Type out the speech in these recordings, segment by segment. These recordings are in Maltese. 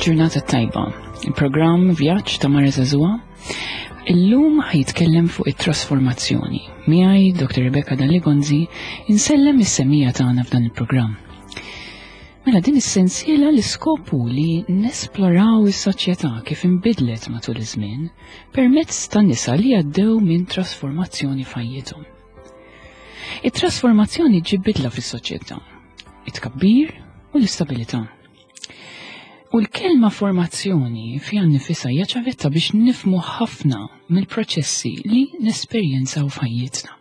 Il-ġurnata tajba, il-programm Vjaġġ ta' Mara Zazua, illum ħajtkellem fuq it-trasformazzjoni. Miegħi Dr. Rebecca Dalli-Gonzi insellem is-semija tagħna f'dan il-programm. Mela din is-sensiela l-iskopu li nesploraw is-soċjetà kif inbidlet matul iż-żmien permezz ta' nisa li għaddew minn trasformazzjoni f'ħajjithom. It-trasformazzjoni ġib bidla fis-soċjetà, it-tkabbir u l-istabilità. U l-kelma formazzjoni fiha nifisha hija ċavetta biex nifmu ħafna mill-proċessi li nesperjenzaw f'ħajjitna.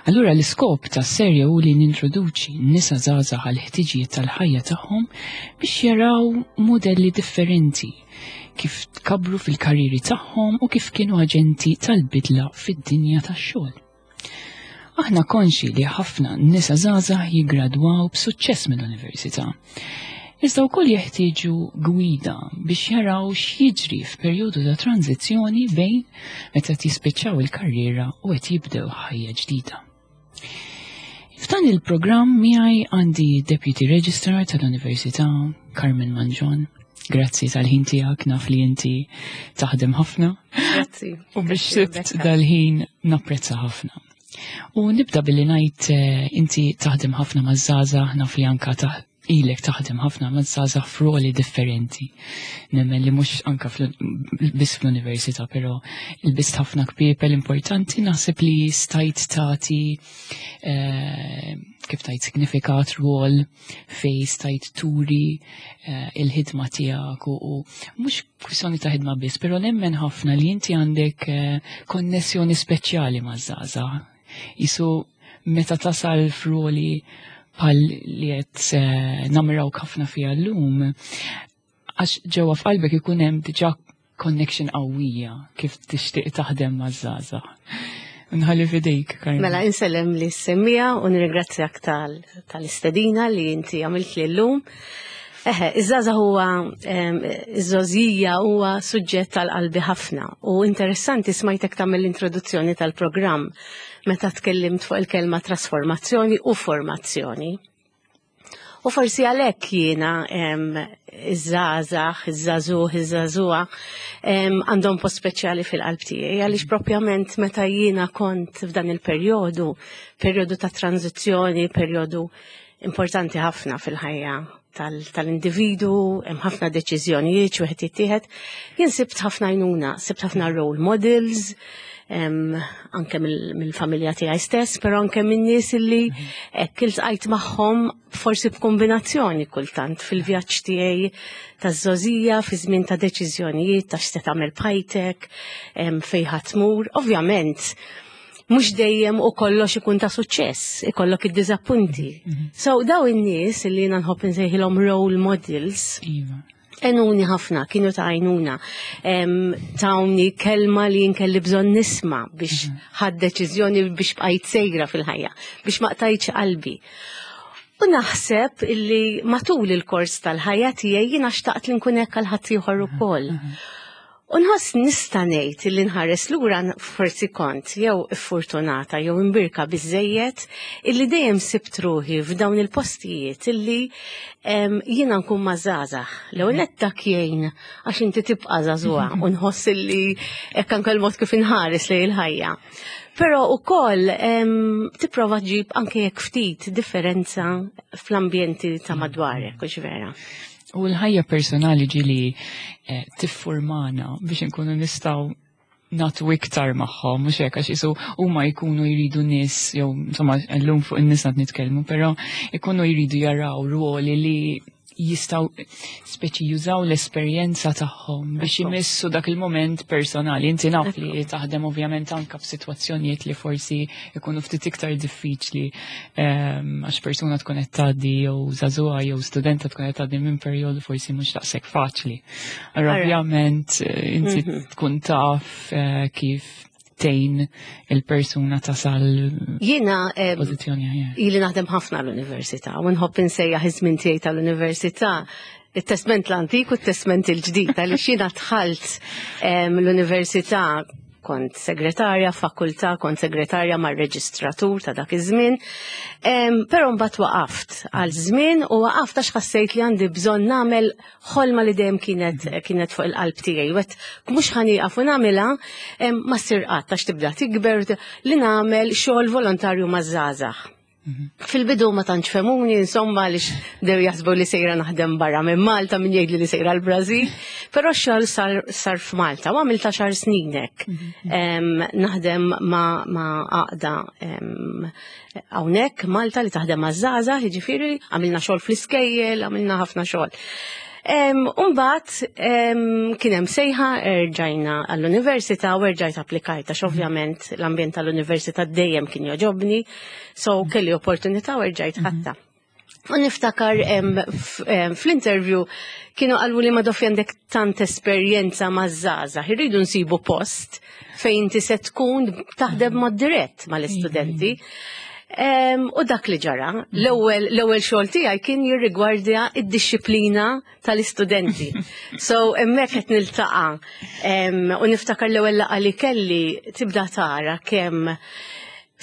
Allura l-iskop tas serje hu li nintroduċi nisa żgħażagħ għal ħtiġijiet tal-ħajja tagħhom biex jaraw modelli differenti kif tkabru fil-karriri tagħhom u kif kienu aġenti tal-bidla fid-dinja tax-xogħol. Aħna konxi li ħafna nisa żgħażagħ jiggradwaw b'suċċess mill-università. Iżda wkoll jeħtieġu gwida biex jaraw x'jiġri f'perjodu ta' tranzizzjoni bejn meta qed jispiċċaw il-karriera u qed jibdew ħajja ġdida. F'dan il-programm miegħi għandi Deputy Registrar tal-Università Carmen Manġon. Grazzi tal-ħin tiegħek naf li inti taħdem ħafna. Grazzi. U biex sibt dal-ħin napprezza ħafna. U nibda billi ngħid eh, inti taħdem ħafna maż-żgħażagħ naf li anka ilek taħdem ħafna ma' żgħażagħ f'roli differenti. Nemmen li mhux anka biss fl-università, però il-bist ħafna kpiepel importanti naħseb li stajt tagħti eh, kif tajt signifikat rwol fej stajt turi eh, il-ħidma tiegħek u mhux kwistjoni ta' ħidma biss, però nemmen ħafna li inti għandek eh, konnessjoni speċjali maż-żgħażagħ. Isu meta tasal f'roli bħal li qed eh, namrawk ħafna fiha llum, għax ġewwa f'qalbek ikun hemm diġà connection qawwija kif tixtieq taħdem maż-żgħażagħ. Nħalli fidejk, Karmen. Mela, insellem li semmija u nirringrazzjak tal-istedina li inti għamilt li llum. Eħe, iż-żaza huwa iż-żożija huwa suġġett tal-qalbi ħafna u interessanti smajtek tagħmel l-introduzzjoni tal-programm meta tkellimt fuq il-kelma trasformazzjoni u formazzjoni. U forsi għalhekk jiena iż-żgħażagħ, iż-żagħżugħ, iż-żagħżugħa għandhom post speċjali fil-qalb tiegħi għaliex propjament meta jiena kont f'dan il-perjodu, perjodu ta' tranzizzjoni, perjodu importanti ħafna fil-ħajja tal-individu, hemm ħafna deċiżjonijiet xi wieħed jittieħed. Jien sibt ħafna għajnuna, sibt ħafna role models, anke mill-familja tiegħi stess, però anke minn nies illi mhm. hekk iltqajt magħhom forsi b'kombinazzjoni kultant fil-vjaġġ tiegħi taż-żożija fi żmien ta' deċiżjonijiet ta' x'se tagħmel b'ħajtek, fejn ħadd tmur. Ovvjament, mhux dejjem u kollox ikun ta' suċċess, ikollok id-diżappunti. Mhm. So daw in-nies li jiena nħobb insejħilhom role models. Iva. Enuni ħafna, kienu ta' għajnuna. Tawni kelma li jinkelli bżonn nisma biex mhm. ħad deċiżjoni biex bqajt sejra fil-ħajja, biex ma qtajtx qalbi. U naħseb illi matul il-kors tal-ħajja tiegħi jiena xtaqt li nkun hekk għal ħaddieħor mhm, ukoll. Mhm. U nħoss nista' ngħid li nħares lura forsi kont jew iffurtunata jew imbirka biżejjed illi dejjem sibt ruħi f'dawn il-postijiet illi jiena nkun ma' żgħażagħ. L-ewwel nett dak jgħin għax inti tibqa' żagħżugħa u nħoss illi hekk anke l-mod kif inħares lejn il-ħajja. Però ukoll tipprova ġib anke jekk ftit differenza fl-ambjenti ta' madwarek, hux vera. U l-ħajja personali ġili eh, tiffurmana biex inkunu nistgħu natu iktar magħhom, mhux hekk għax isu huma jkunu jridu nies jew insomma llum fuq in-nies qed nitkellmu, però jkunu jridu jaraw ruoli li jistaw speċi jużaw l-esperjenza tagħhom biex imissu dak il-moment personali. Inti naf li taħdem ovvjament anka f'sitwazzjonijiet li forsi ikunu ftit iktar diffiċli ehm, għax persuna tkun qed tgħaddi jew żagħżugħa jew studenta tkun qed tgħaddi minn perjodu forsi mhux daqshekk faċli. Allora ovvjament eh, inti mhm. tkun taf eh, kif tejn il-persuna tasal Jiena eh, pożizzjoni aħjar. Ili naħdem ħafna l-università u nħobb insejjaħ iż-żmien tiegħi tal-università it-testment l-antik u t-testment il-ġdid għaliex jiena dħalt l-università. Kont segretarja fakultà, kont segretarja mar-reġistratur ta' dak iż-żmien. Però mbagħad waqaft għal żmien u waqaft għax ħassejt li għandi bżonn nagħmel ħolma li dejjem kienet fuq il-qalb tiegħi. Wet mhux ħa nieqaf u nagħmilha ma ssir qatt għax tibda tikber li nagħmel xogħol volontarju maż-żgħażagħ. Fil-bidu ma tantx fehmuni, insomma, għaliex dew jaħsbu li sejra naħdem barra minn Malta, min jgħid li sejra l-Brażil, però x-xogħol sar f'Malta u għamilt 10 snin hekk. Naħdem ma' għaqda hawnhekk Malta li taħdem maż-żgħażagħ, jiġifieri għamilna xogħol fl-iskejjel, għamilna ħafna xogħol. Umbagħad kien hemm sejħa, erġajna għall-università u erġajt applikajt għax ovvjament l-ambjent tal-università dejjem kien jogħġobni, so kelli opportunità u erġajt ħadtha. U niftakar fl-interview kienu qalu li ma doffi għandek tant esperjenza ma' żgħażagħ, irridu nsibu post fejn inti se tkun taħdem mod dirett mal-istudenti. U dak li ġara, l-ewwel xogħol tiegħi kien jirrigwardja id-dixxiplina tal-istudenti. So hemmhekk qed niltaqa' u niftakar l-ewwel laqgħa li kelli tibda tara kemm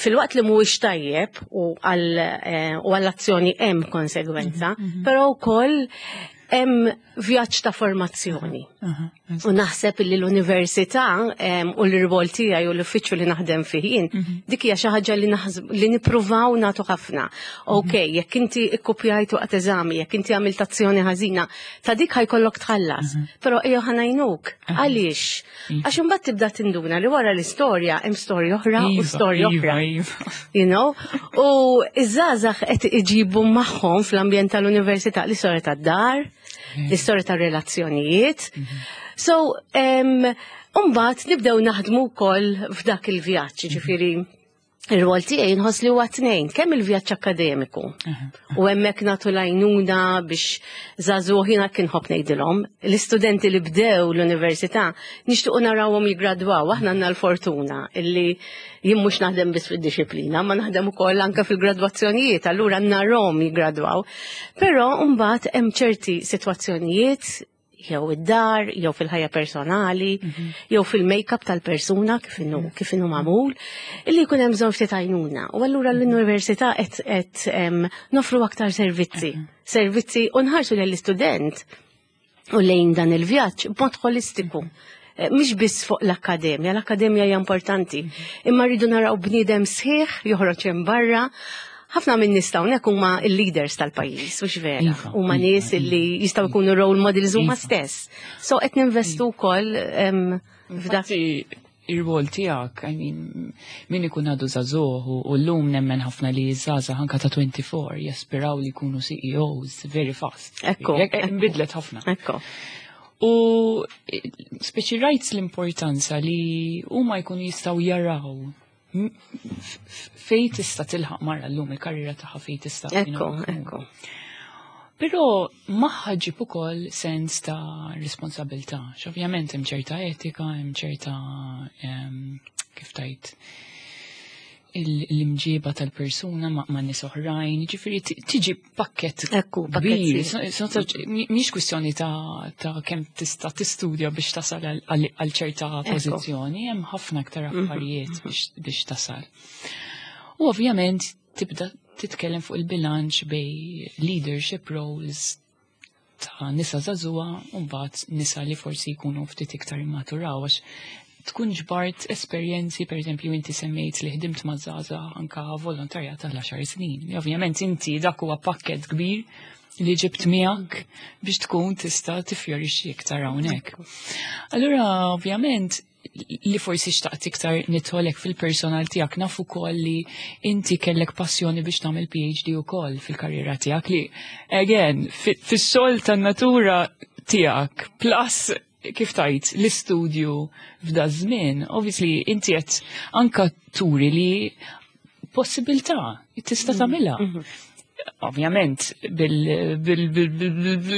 filwaqt li mhuwiex tajjeb u għall-azzjoni hemm konsegwenza, però wkoll hemm vjaġġ ta' formazzjoni. U naħseb li l-università u l-rwol tiegħi u l-uffiċċju li naħdem fih jien, dik hija xi ħaġa li nippruvaw nagħtu ħafna. Ok, jekk inti ikkupjajt waqt eżami, jekk inti għamilt azzjoni ħażina, ta' dik ħa jkollok tħallas. Però ejja ħa ngħinuk. Għaliex? Għax imbagħad tibda tinduna li wara l-istorja hemm storja oħra u storja oħra. U iż-żgħażagħ qed iġibu magħhom fl-ambjent tal-università l-istorja tad-dar, l-istorja tar-relazzjonijiet. So, mbagħad nibdew naħdmu wkoll f'dak il-vjaġġ, ġifieri ir-rwol tiegħi nħoss li huwa tnejn, kemm il-vjaġġ akkademiku. U hemmhekk nagħtu l-għajnuna biex żagħżugħ jiena kien ħobb ngħidilhom, l-istudenti li bdew l-università nixtiequ narawhom jiggradwaw, aħna għandna l-fortuna illi jien mhux naħdem biss fid-dixxiplina, ma naħdem ukoll anke fil-gradwazzjonijiet, allura narahom jiggradwaw. Però mbagħad hemm ċerti sitwazzjonijiet jew id-dar, jew fil-ħajja personali, jew fil-make-up tal-persuna kif inhu magħmul, illi jkun hemm bżonn ftit għajnuna. U allura l-università qed nofru aktar servizzi, servizzi u nħarsu lill-istudent u lejn dan il-vjaġġ b'mod holistiku. Mhix biss fuq l-akkademja, l-akkademja hija importanti, imma rridu naraw bniedem sħiħ joħroġ hemm barra. Ħafna minn nies hawnhekk huma l-leaders tal-pajjiż, mhux vera. Huma nies li jistgħu jkunu role models huma stess. So qed ninvestu wkoll f'dak. Infatti, ir-rwol tiegħek, I mean, min ikun għadu żagħżugħ u llum nemmen ħafna li żgħażagħ anka ta' 24 jaspiraw li jkunu CEOs very fast. Jekk inbidlet ħafna. U speċi rajt l-importanza li huma jkunu jistgħu jaraw fej tista' tilħaq mara llum il-karriera tagħha fej tista' Ekku, ekku. Però magħha ġib ukoll sens ta' responsabilità. Ovvjament hemm ċerta etika, hemm ċerta kif tajt l-imġiba tal-persuna ma' nies oħrajn, ġifieri tiġi pakket Pakket kbir. sħiħ. Mhix kwistjoni ta' kemm tista' tistudja biex tasal għal ċerta pożizzjoni, hemm ħafna aktar affarijiet biex tasal. U ovvjament tibda titkellem fuq il-bilanċ bejn leadership roles ta' nisa żagħżugħa u mbagħad nisa li forsi jkunu ftit iktar immaturaw għax tkun ġbart esperjenzi, per eżempju, inti semmejt li ħdimt ma' żgħażagħ anka volontarjat tal-10 snin. Li ovvjament inti dak huwa pakket kbir li ġibt miegħek biex tkun tista' tifjorixxi iktar hawnhekk. Allura, ovvjament, li forsi xtaqt iktar nidħollek fil-personal tiegħek, naf ukoll li inti kellek passjoni biex tagħmel PhD ukoll fil-karriera tiegħek li, again, fis-xogħol tan-natura tiegħek, plus kif tajt l-istudju f'da żmien, obviously inti qed anka turi li possibilità tista' tagħmilha. Ovvjament,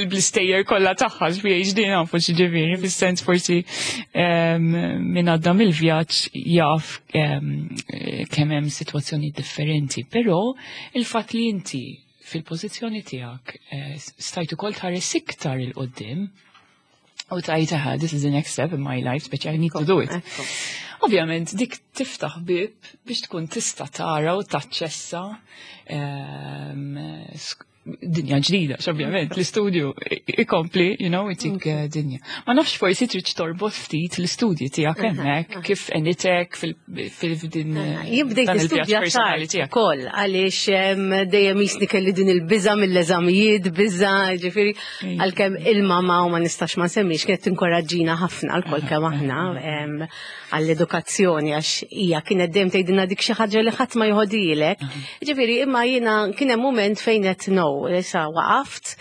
bil-stejjer kollha tagħha PhD nafu x'ġifieri, fis-sens forsi min għadda mill-vjaġġ jaf kemm hemm sitwazzjoni differenti, però il-fatt li inti fil-pożizzjoni tiegħek stajt ukoll tħares iktar 'il quddiem u tajt aha, this is the next step in my life, speċi I need to do it. Ovvjament dik tiftaħ bib biex tkun tista' tara u taċċessa dinja ġdida, ovvjament, l-istudju ikompli, itik dinja. Ma nafx forsi trid torbot ftit l-istudji tiegħek hemmhekk kif enitek fil-din. Jien bdejt dan il-vjaġġ nistudja personali tard tiegħek. ukoll għaliex dejjem jisni kelli din il-biża mill-eżamijiet, biża, ġifieri għalkemm il-mama u ma nistax ma nsemmix kienet tinkoraġġina ħafna lkoll kemm aħna għall-edukazzjoni, għax hija kienet dejjem tgħidilna dik xi ħaġa li ħadd ma joħodilek. Ġifieri imma jiena kien hemm mument fejn qed no, issa waqaft,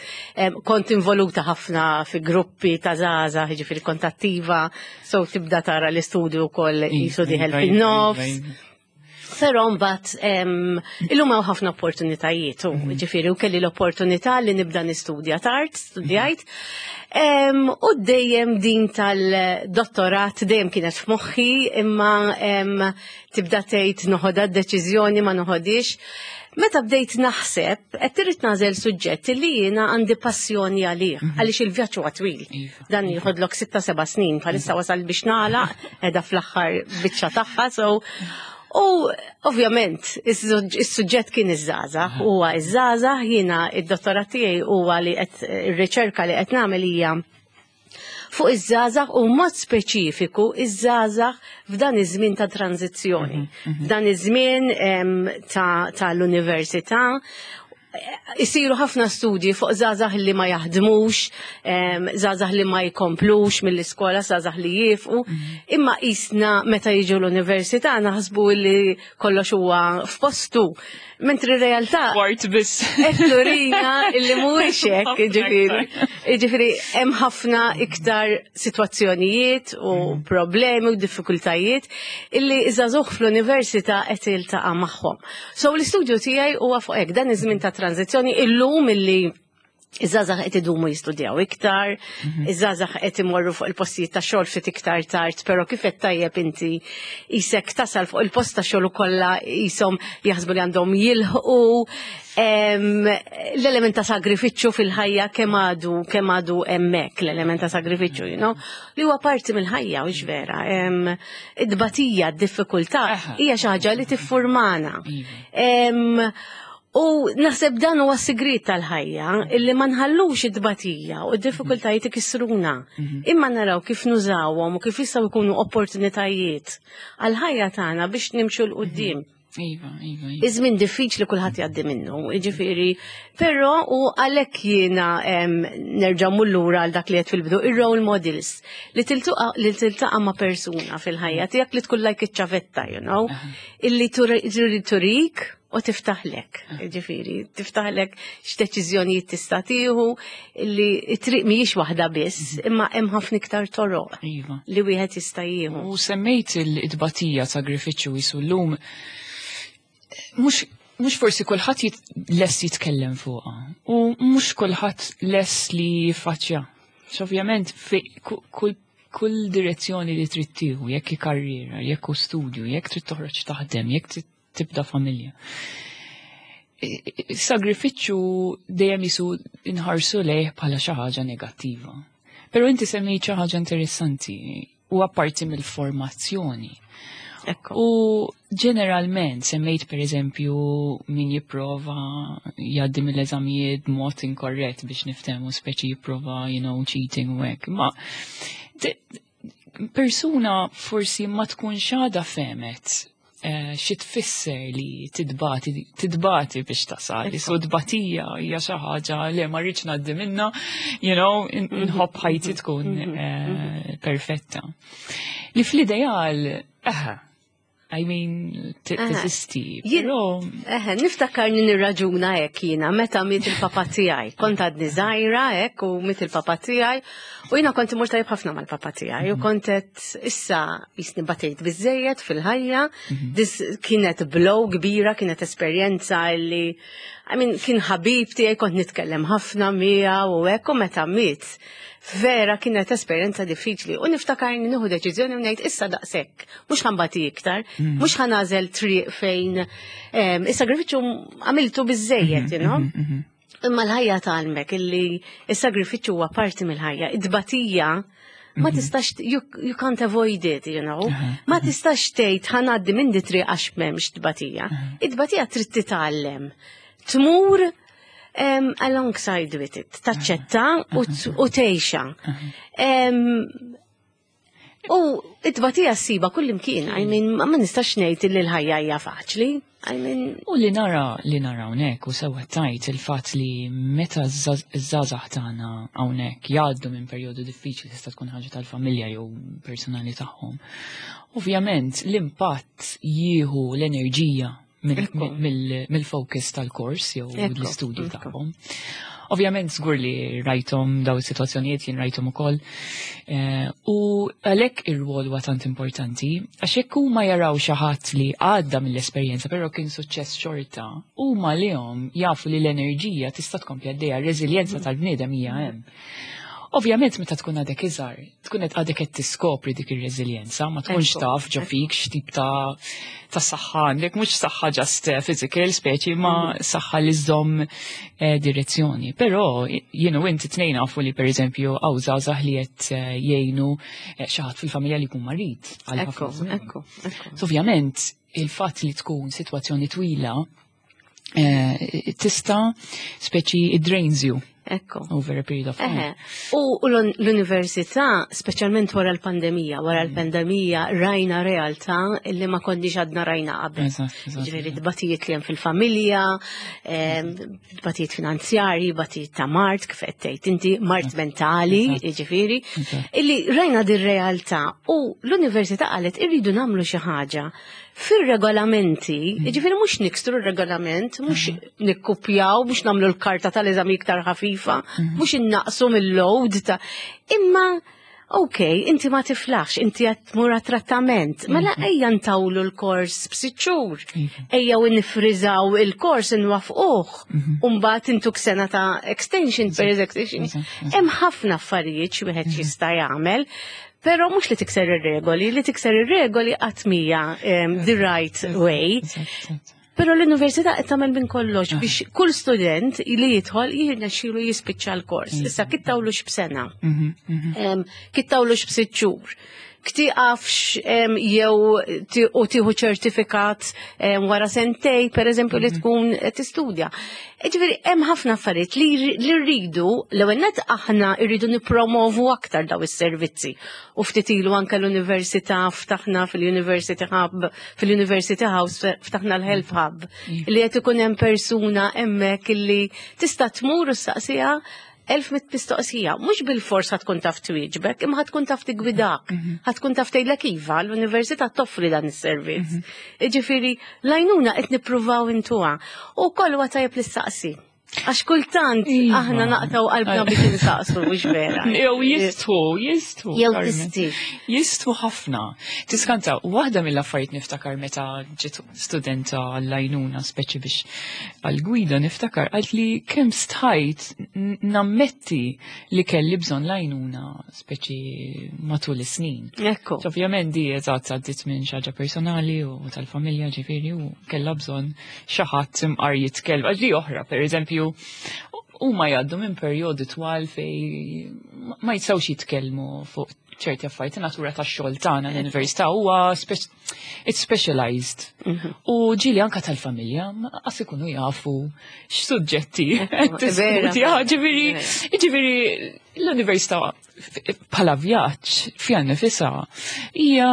kont involuta ħafna fi gruppi ta' żgħażagħ, ġifieri kont attiva, so tibda tara l-istudju wkoll qisu dieħel fin-nofs. Però mbagħad illum hawn ħafna opportunitajiet u ġifieri u kelli l-opportunità li nibda nistudja tard, studjajt. U dejjem din tal-dottorat dejjem kienet f'moħħi, imma tibda tgħid noħodha d-deċiżjoni, ma noħodix. Meta bdejt naħseb, qed trid nagħżel suġġett li jiena għandi passjoni għalih, għaliex il-vjaġġ huwa twil. Dan jieħodlok 6-7 snin, bħalissa wasal biex nagħlaq, qiegħda fl-aħħar biċċa tagħha, so u ovvjament is-suġġett kien iż-żgħażagħ, huwa iż-żgħażagħ, jiena id-dottorat tiegħi huwa li qed ir-riċerka li qed nagħmel hija fuq iż-żgħażagħ u mod speċifiku iż-żgħażagħ f'dan iż-żmien ta' tranzizzjoni. F'dan iż-żmien tal-università isiru ħafna studji fuq żgħażagħ li ma jaħdmux, żgħażagħ li ma jkomplux mill-iskola, żgħażagħ li jifqu, imma qisna meta jiġu l-università naħsbu li kollox huwa f'postu. Mentri r-realtà Kwart biss. qed turina illi mhuwiex hekk, Ħafna jiġifieri. iktar. Jiġifieri hemm ħafna iktar sitwazzjonijiet u problemi u diffikultajiet illi iż-żagħżugħ fl-università qed jiltaqa' magħhom. So l-istudju tiegħi huwa fuq hekk, dan iż-żmien ta' tranzizzjoni illum illi iż-żgħażagħ qed idumu jistudjaw iktar, iż-żgħażagħ qed imorru fuq il-postijiet ta' xogħol ftit iktar tard, però kif qed tajjeb inti isek tasal fuq il-post ta' xogħol ukollha qishom jaħsbu li għandhom jilħqu l-element ta' sagrifiċċju fil-ħajja kemm għadu hemmhekk l-element ta' sagrifiċċju, li huwa parti mill-ħajja, u vera. Id-tbatija, d-diffikultà hija xi ħaġa li tiffurmana. U naħseb dan huwa s-sigriet tal-ħajja, illi ma nħallux id-tbatija u d-diffikultajiet ikissruna. Imma naraw kif nużawhom u kif jistgħu jkunu opportunitajiet għall-ħajja tagħna biex nimxu 'l quddiem. Iva, iva, iva. Iż-żmien diffiċli kulħadd jgħaddi minnu, jiġifieri, però u għalhekk jiena nerġa' mmur lura għal dak li qed fil-bidu, ir-role models li tiltaqa' ma' persuna fil-ħajja tiegħek li tkun like iċ-ċavetta, illi turik u tiftaħlek, ġifieri, tiftaħlek x'deċiżjonijiet tista' tieħu, li t-triq mhijiex waħda biss, imma hemm ħafna iktar toroq li wieħed jista' jieħu. U semmejt il-tbatija, sagrifiċċju jisu llum, mhux forsi kulħadd lest jitkellem fuqha u mhux kulħadd lest li jiffaċċja. Ovvjament kull direzzjoni li trid tieħu, jekk hi karriera, jekk hu studju, jekk trid toħroġ taħdem, jekk trid tibda familja. Sagrifiċċju dejjem jisu inħarsu lejh bħala xi ħaġa negattiva. Però inti semmejt xi ħaġa interessanti u apparti mill-formazzjoni. U ġeneralment semmejt per eżempju min jipprova jgħaddi mill-eżamijiet b'mod inkorrett biex niftehmu, speċi jipprova, cheating u hekk. Ma persuna forsi ma tkunx għadha fehmet xi tfisser li titbati biex tasal. So tbatija hija xi ħaġa li ma rridx ngħaddi minna, inħobb ħajti tkun perfetta. Li fl-ideal, I mean, teżisti, però Eħe, niftakar nirraġuna hekk jiena meta miet il-papa tiegħi. Kont għadni żgħira hekk u miet il-papa tiegħi u jiena kont imur tajjeb ħafna mal-papa tiegħi u kont qed issa jisni batejt biżejjed fil-ħajja. Dis kienet blow kbira, kienet esperjenza li, I mean, kien ħabib tiegħi, kont nitkellem ħafna miegħu u hekk, u meta miet vera kienet esperjenza diffiċli u niftakar nieħu deċiżjoni u ngħid issa daqshekk, mhux ħa nbati iktar, mhux ħa nagħżel triq fejn is-sagrifiċċju għamiltu biżejjed, you know? Imma l-ħajja tgħallmek illi is-sagrifiċċju huwa parti mill-ħajja, id-tbatija. Ma tistax, you can't avoid it, you know. Ma tistax tgħid ħa ngħaddi minn di triq għax m'hemmx tbatija. It-tbatija trid titgħallem. Tmur alongside with it, taċċetta u tgħixha. U it-tbatija ssibha kull imkien, I mean, ma nistax ngħid li l-ħajja hija faċli. I mean, U li nara hawnhekk u sewa tajt il-fatt li meta ż-żgħażagħ tagħna hawnhekk jgħaddu minn perjodu diffiċli, tista' tkun ħaġa tal-familja jew personali tagħhom. Ovvjament l-impatt jieħu l-enerġija mill-focus tal-kors jew l-istudju tagħhom. Ovvjament żgur li rajthom daw is-sitwazzjonijiet, jien rajthom ukoll. U għalhekk ir-rwol huwa tant importanti, għax jekk huma jaraw xi ħadd li għadda mill-esperjenza però kien suċċess xorta, huma lihom jafu li l-enerġija tista' tkompli għaddejja, r-reżiljenza tal-bniedem hija hemm. Ovvjament meta tkun għadek iżgħar, tkun qed għadek qed tiskopri dik ir-reżiljenza, ma tkunx taf ġo fik x'tip ta' saħħa għandek, mhux saħħa just physical speċi, ma saħħa li żżomm direzzjoni. Però jien u inti tnejn nafu li, pereżempju, hawn żgħażagħ li qed jgħinu xi ħadd fil-familja li jkun marid għal ħafna żmien. Ekku, ekku. So, ovvjament il-fatt li tkun sitwazzjoni twila tista' speċi it drains you over a period of time. Eħe. U l-università, speċjalment wara l-pandemija rajna realtà li ma konniex għadna rajna qabel. Eżatt, eżatt. Ġifieri tbatijiet li hemm fil-familja, tbatijiet finanzjarji, tbatijiet ta' mard, kif qed tgħid inti, mard mentali, ġifieri, illi rajna din realtà u l-università qalet irridu nagħmlu xi ħaġa fir-regolamenti, ġifieri mhux niksru r-regolament, mhux nikkupjaw, mhux nagħmlu l-karta tal-eżami iktar ħafifa, mhux innaqsu mill-load ta' imma ok, inti ma tiflaħx, inti qed tmur trattament, mela ejja ntawlu l-kors b'sitt xhur, ejja u nifriżaw il-kors, nwaffquh, u mbagħad intuk sena ta' extension per extension. Hemm ħafna affarijiet xi wieħed jista' jagħmel, però mhux li tikser ir-regoli, li tikser ir-regoli qatt mhija the right way. Eżatt, eżatt. Però l-università qed tagħmel minn kollox biex kull student li jidħol jirnexxielu jispiċċa l-kors. Issa kittawlux b'sena, kittawlux b'sitt xhur. Ktiqafx jew u tieħu ċertifikat wara sentej, per eżempju, li tkun qed tistudja. Ġifieri hemm ħafna affarijiet li rridu, l-ewwel nett aħna rridu nippromovu aktar daw is-servizzi. U ftit ilu anke l-università ftaħna fil-University Hub, fil-University House ftaħna l-Health Hub, li qed ikun hemm persuna hemmhekk illi tista' tmur u saqsiha elf mit mistoqsija, mhux bil-fors ħa tkun taf twieġbek, imma ħa tkun taf tigwidak, ħa tkun taf tgħidlek iva, l-università toffri dan is-servizz. Ġifieri, l-għajnuna qed nippruvaw intuha. U koll huwa tajjeb li ssaqsi. Għax kultant aħna naqtaw qalbna biex insaqsu, mhux vera? Jew jistħu, jistħu. Jew Carmen. tisti. Jistħu ħafna. Tiskanta, waħda mill-affarijiet niftakar meta ġiet studenta għall-għajnuna speċi biex għal-gwida, niftakar għalt li kemm stħajt nammetti li kelli bżonn l-għajnuna speċi matul is-snin. So, ovvjament di eżatt għaddit minn xi ħaġa personali u tal-familja, ġifieri, u kellha bżonn xi ħadd imqar jitkellem. Għax di oħra, per eżempju, huma jgħaddu minn perjodi twal fej ma jistgħux jitkellmu fuq ċerti affarijiet. Natura tax-xogħol tagħna l-università huwa it's specialized. U ġieli anka tal-familja ma qas ikunu jafu x'suġġetti qed tiskutja. Ġifieri ġifieri l-università bħala vjaġġ fiha nifisha hija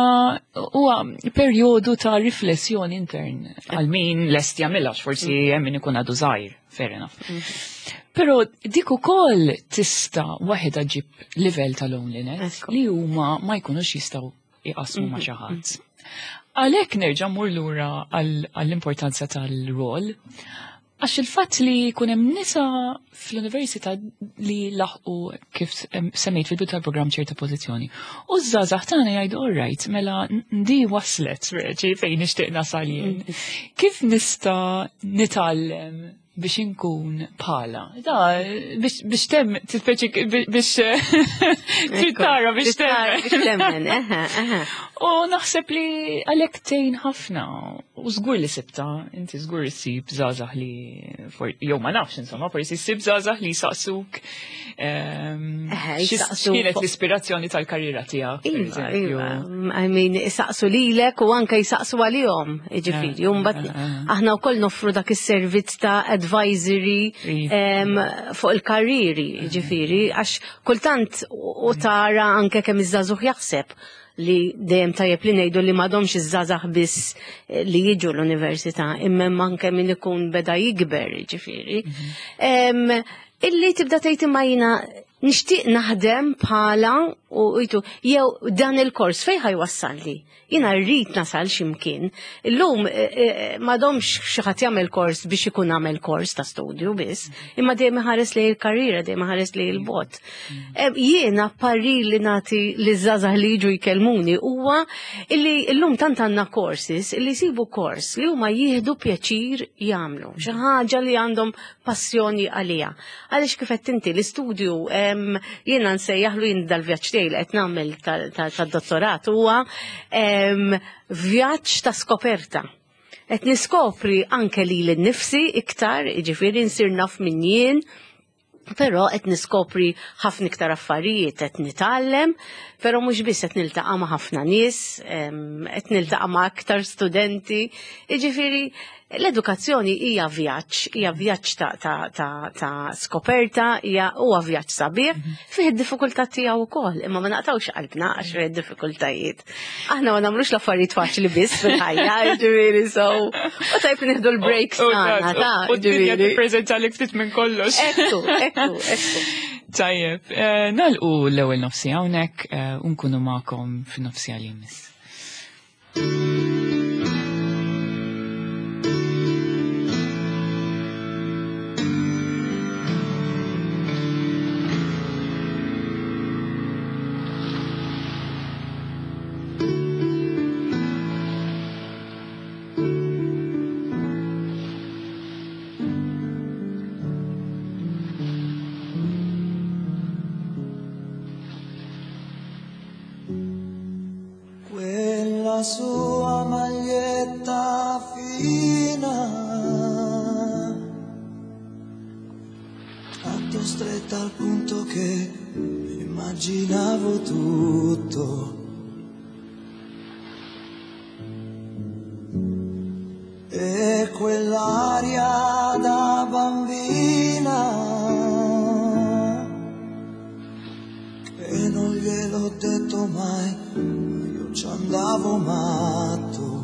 huwa perjodu ta' riflessjoni intern għal min lest jagħmilha, forsi hemm min ikun għadu żgħir, fair enough. Però dik ukoll tista' waħedha ġib livell ta' loneliness li huma ma jkunux jistgħu jqasmu ma' xi ħadd. Għalhekk nerġa' mmur lura għall-importanza tal-rol. Għax il-fatt li jkun hemm nisa fl-università li laħqu, kif semmejt fil-bidu tal-programm, ċerta pożizzjoni. U ż-żgħażagħ tagħna jgħidu, "All right, mela di waslet reġi fejn nixtieq nasal jien. Kif nista' nitgħallem biex inkun bħala?" Da, biex tem, tispeċi biex trid tara biex Tara temmen. biex temmen, eħe, eħe. U naħseb li għalhekk tgħin ħafna. U żgur li sibta, inti żgur issib żgħażagħ li, jew ma nafx insomma, forsi ssib żgħażagħ li saqsuk. X'kienet l-ispirazzjoni tal-karriera tiegħek? Iva, iva. I mean, isaqsu lilek u anke jisaqsu għalihom, jiġifieri. U mbagħad aħna wkoll noffru dak is-servizz ta' advisory iva. fuq il-karriri, jiġifieri, għax kultant u tara anke kemm iż-żagħżugħ jaħseb li dejjem tajjeb li ngħidu li m'għadhomx iż-żgħażagħ biss eh, li jiġu l-università, imma anke min ikun beda jikber, ġifieri. Mhm. Illi tibda tgħid imma jiena nixtieq naħdem bħala u jitu jew dan il-kors fejn ħajwassalli. Jiena rrid nasal x'imkien. Illum eh, eh, m'għadhomx xi ħadd jagħmel kors biex ikun għamel kors ta' studju biss, imma dejjem iħares lejn il-karriera, dejjem iħares lejn il-bot. Jiena parir li nagħti li żgħażagħ li jiġu jkellmuni huwa illi llum tant għandna courses illi jsibu kors li huma jieħdu pjaċir jagħmlu, xi ħaġa li għandhom passjoni għaliha. Għaliex kif qed inti l-istudju jiena nsejjaħlu jien dal-vjaġġ tiegħi li qed nagħmel tad-dottorat huwa vjaġġ ta' skoperta. Qed niskopri anke lili nnifsi iktar, jiġifieri nsir naf min jien, Però qed niskopri ħafna iktar affarijiet, qed nitgħallem, però mhux biss qed niltaqa' ma' ħafna nies, qed niltaqa' ma' aktar studenti. Jiġifieri l-edukazzjoni hija vjaġġ, hija vjaġġ ta', ta, ta, ta skoperta, hija huwa vjaġġ sabiħ, mhm. fih id-diffikultà tiegħu wkoll, imma ma naqtawx qalbna għax fih id-diffikultajiet. Aħna ma nagħmlux l-affarijiet faċli biss fil-ħajja, ġifieri so. U tajb nieħdu l-breaks tagħna, ta' U d-dinja tippreżentalik ftit minn kollox. Ekku, ekku, ekku. Tajjeb, eh, nalqu l-ewwel nofsi hawnhekk eh, u nkunu magħkom fin-nofsi għal jmiss. Quella sua maglietta fina Tanto stretta al punto che immaginavo tutto. E quell'aria da bambina che non gliel'ho detto mai, ma io ci andavo matto.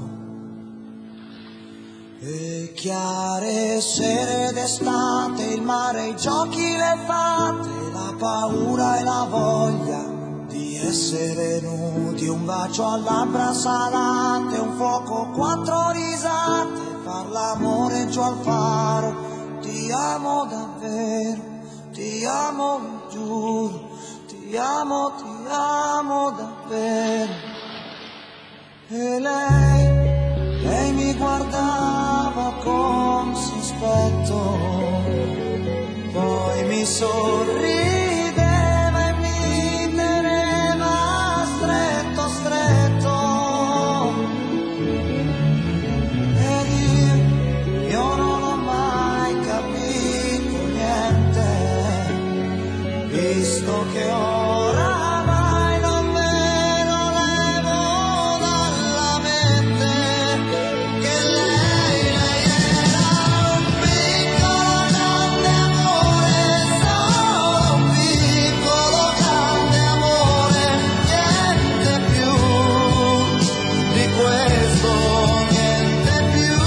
E chiare sere d'estate, il mare, i giochi, le fate, la paura e la voglia di essere nudi, un bacio a labbra salate, un fuoco, quattro risate, far l'amore giù al faro. Ti amo davvero, ti amo, lo giuro, ti amo, ti amo davvero. E lei, lei mi guardava con sospetto, poi mi sorrideva e mi teneva stretto, stretto. Ed io, io non ho mai capito niente, visto che oramai non me lo levo dalla mente, che lei, lei era un piccolo grande amore, solo un piccolo grande amore, niente più di questo, niente più.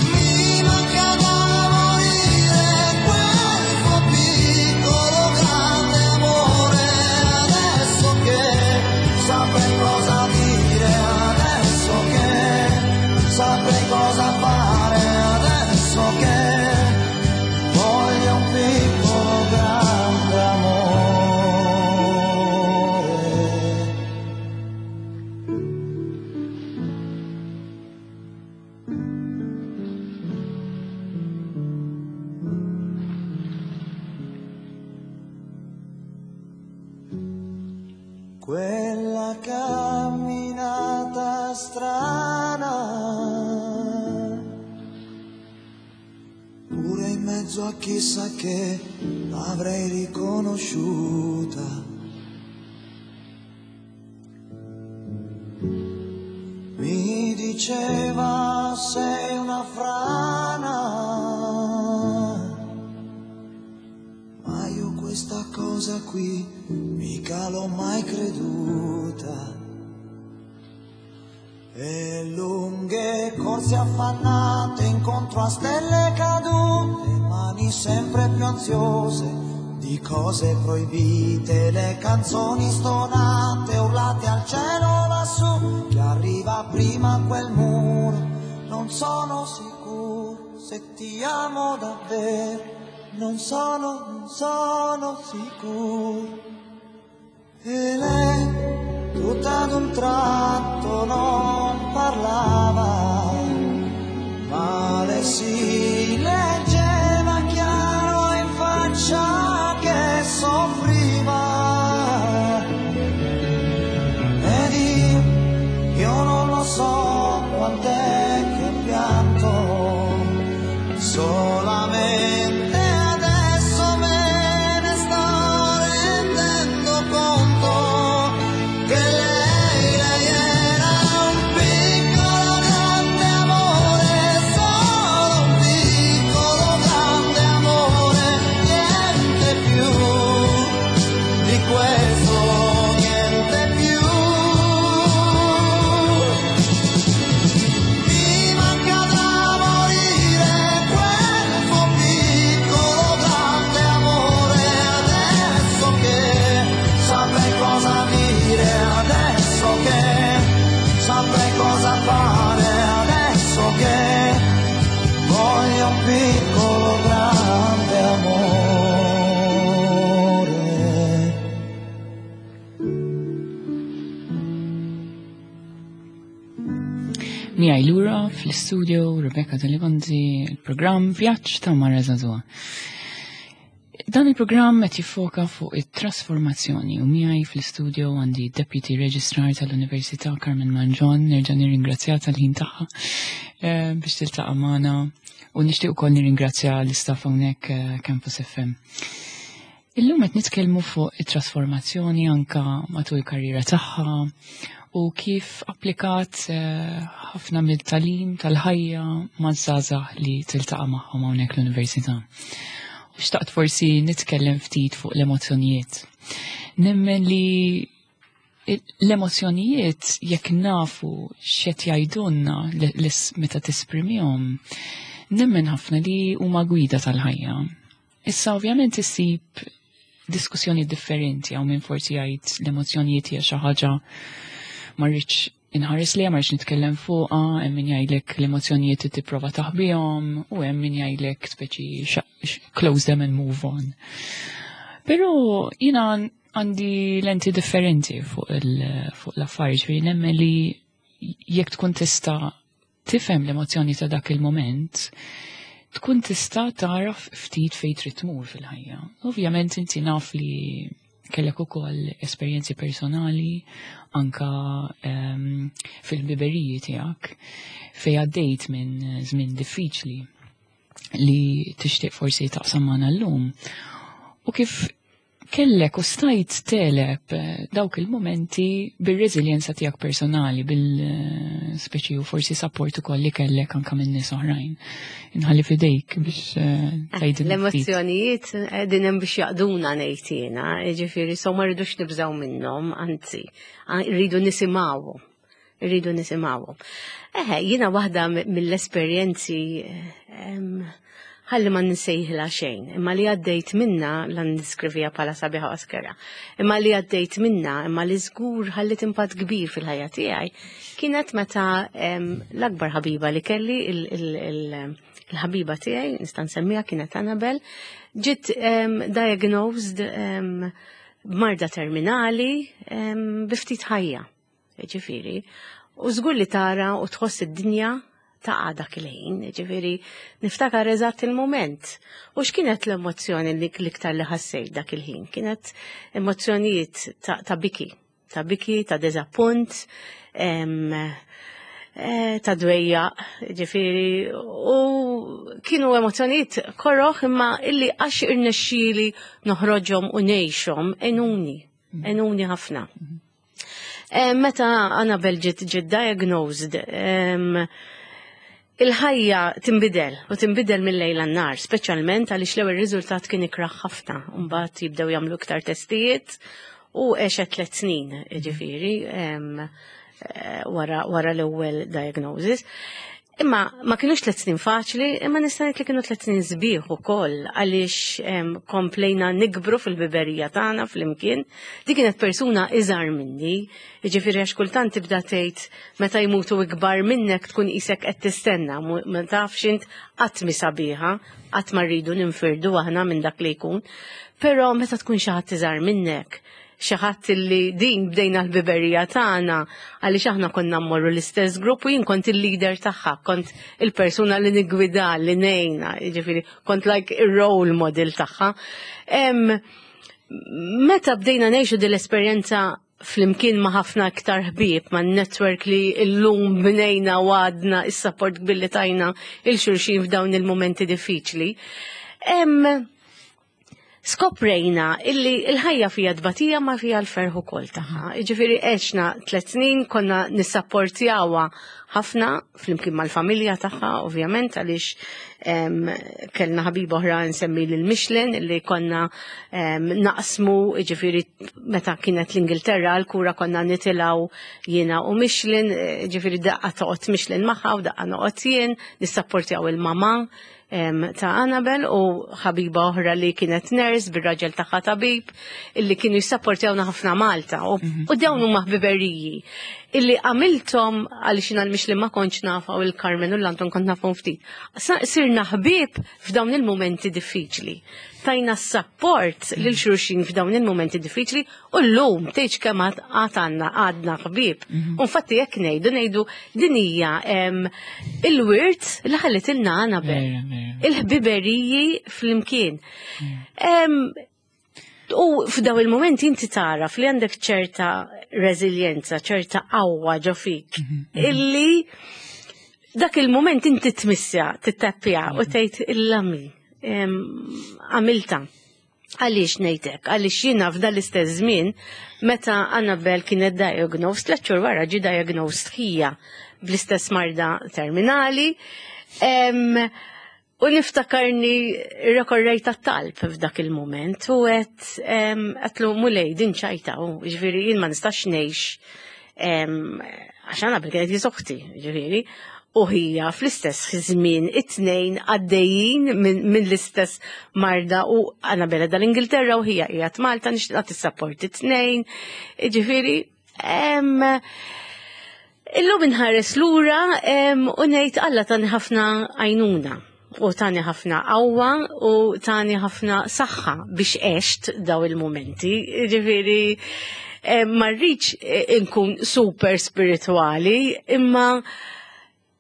Mi manca da morire quel suo piccolo grande amore, adesso che saprei cosa dire, adesso che saprei cosa fare, adesso che voglio un piccolo grande amore. Quella camminata strana, pure in mezzo mezzo a chissà che l'avrei riconosciuta. Mi diceva sei una frana, ma io questa cosa qui mica l'ho mai creduta. E lunghe corse affannate incontro a stelle cadute, mani sempre più ansiose di cose proibite, le canzoni stonate, urlate al cielo lassù, che arriva prima quel muro, non sono sicuro se ti amo davvero, non sono, non sono sicuro. E lei tutta ad un tratto non parlava, ma le si leggeva chiaro in faccia che soffriva. Ed io non lo so quant'è che pianto, solamente adesso me ne sto rendendo conto che lei era un piccolo grande amore, solo un piccolo grande amore, niente più di questo, niente più. Mi manca da morire quel suo piccolo grande amore, adesso che saprei cosa dire, adesso che saprei cosa fare, adesso che voglio un piccolo grande amore. Miegħi lura fl-istudio Rebecca Deligonzi, il-programm Vjaġġ ta' Mara Żagħżugħa. Dan il-programm qed jiffoka fuq it-trasformazzjoni u miegħi fl-istudio għandi Deputy Registrar tal-Università Carmen Mangion, nerġa' nirringrazzja tal-ħin tagħha biex tiltaqa' magħna u nixtieq ukoll nirringrazzja l-istaff hawnhekk Campus FM. Illum qed nitkellmu fuq it-trasformazzjoni anka matul il-karriera tagħha u kif applikat ħafna mill-talim tal-ħajja maż-żgħażagħ li tiltaqa' magħhom hawnhekk l-università. U xtaqt forsi nitkellem ftit fuq l-emozzjonijiet. Nemmen li l-emozzjonijiet jekk nafu x'qed jgħidulna meta tesprimihom, nemmen ħafna li huma gwida tal-ħajja. Issa ovvjament issib diskussjoni differenti, hawn min forsi jgħid l-emozzjonijiet hija xi ħaġa ma rridx inħares li, ma rridx nitkellem fuqha, hemm min jgħidlek l-emozzjonijiet tipprova taħbihom u hemm min jgħidlek speċi close them and move on. Però jiena għandi lenti differenti fuq l-affarijiet, ġifieri nemmen li jekk tkun tista' tifhem l-emozzjoni ta' dak il-moment, tkun tista' taraf ftit fejn trid tmur fil-ħajja. Ovvjament inti naf li kellek ukoll esperjenzi personali anka fil-biberiji tiegħek fejn għaddejt minn żmien diffiċli li tixtieq forsi taqsam magħna llum. U kif kellek u stajt teleb dawk il-momenti bir-reżiljenza tiegħek personali, bil-speċi u forsi support ukoll li kellek anka minn nies oħrajn. Inħalli fidejk biex tgħidilna ftit. L-emozzjonijiet qegħdin hemm biex jaqduna ngħid jiena, jiġifieri so ma rridux nibżgħu minnhom, anzi, rridu nisimgħuhom. Rridu nisimgħuhom. Eħe, jiena waħda mill-esperjenzi ħalli ma nsejħilha xejn, imma li għaddejt minna, la niskrivija bħala sabiħa oskera, imma li għaddejt minna, imma li żgur ħallit impatt kbir fil-ħajja tiegħi, kienet meta l-akbar ħabiba li kelli, il-ħabiba tiegħi, nista' nsemmiha, kienet Annabel, ġiet diagnosed b'marda terminali bi ftit ħajja, ġifieri, u żgur li tara u tħoss id-dinja ta' dak il-ħin, ġifieri niftakar eżatt il-moment. U x'kienet l-emozzjoni li l-iktar li ħassejt dak il-ħin? Kienet emozzjonijiet ta' biki, ta' biki, ta' deżappunt, ta' dwejja, ġifieri, u kienu emozjonijiet koroħ imma illi għax irnexxieli noħroġhom u ngħixhom għenuni, għenuni ħafna. Meta Annabel ġiet diagnosed, il-ħajja tinbidel u tinbidel mill-lejl għan-nhar, speċjalment għaliex l-ewwel riżultat kien ikrah ħafna, mbagħad jibdew jagħmlu iktar testijiet u għexet 3 snin, ġifieri, wara l-ewwel diagnosis. Imma ma kienux 3 snin faċli, imma nista' ngħid li kienu 3 snin sbieħ ukoll għaliex komplejna nikbru fil-biberija tagħna flimkien. Di kienet persuna iżgħar minni, jiġifieri għax kultant tibda tgħid meta jmutu ikbar minnek tkun qisek qed tistenna, ma tafx int qatt mi sabiħa, qatt ma rridu ninfirdu aħna minn dak li jkun. Però meta tkun xi ħadd iżgħar minnek, xi ħadd li din bdejna l-biberija tagħna għaliex aħna konna mmorru l-istess grupp u jien kont il-leader tagħha, kont il-persuna li nigwida, li ngħinha, jiġifieri kont like ir-role model tagħha. Meta bdejna ngħixu din l-esperjenza flimkien ma' ħafna iktar ħbieb, ma' network li llum bnejna u għadna is-support kbir li tajna il-xulxin f'dawn il-momenti diffiċli. Skoprejna illi l-ħajja fija tbatija ma fija l-ferħ ukoll tagħha. Jiġifieri għexna 3 snin konna nissapportjawha ħafna flimkien mal-familja tagħha, ovvjament, għaliex kellna ħabiba oħra nsemmi lil Michelin illi konna naqsmu, jiġifieri meta kienet l-Ingilterra l-kura konna nitilgħu jiena u Michelin, jiġifieri daqqa toqgħod Michelin magħha u daqqa noqgħod jien, nissapportjaw il-mama ta' Annabel u ħabiba oħra li kienet nurse bir-raġel tagħha tabib illi kienu jissapportjawna ħafna Malta u dawn huma ħbiberiji illi għamilthom għaliex jiena l-Michelin ma kontx nafa u l-Carmen u l-Anton kont nafhom ftit. Sirna ħbieb f'dawn il-momenti diffiċli. Tajna s-support lil xulxin f'dawn il-momenti diffiċli u llum tgħidx kemm għad għandna għadna ħbieb. U infatti jekk ngħidu din hija il-wirt li ħallitilna Annabel. Il-ħbiberiji flimkien. U f'daw il-momenti inti taraf li għandek ċerta reżiljenza, ċerta qawwa ġo fik, illi dak il-moment inti tmissja, tittappja u tgħid illami għamilta. Għaliex ngħidlek? Għaliex jiena f'dan l-istess żmien meta Annabel kienet diagnosed, 3 xhur wara ġie diagnosed ħija bl-istess marda terminali. U niftakarni rekorrejt tat-talb f'dak il-moment u għedtlu Mulej din ċajta, u ġifieri jien ma nistax ngħix, għax Annabel kienet jisoħti, ġifieri, u hija fl-istess żmien it-tnejn għaddejjin minn l-istess marda u Annabel dal-Ingilterra u hija qiegħed Malta nixtieq nagħti support it-tnejn, ġifieri, illum inħares lura u ngħid Alla tani ħafna għajnuna u tani ħafna qawwa u tani ħafna saħħa biex għext daw il-momenti. Ġifieri, ma rridx inkun super spirituali, imma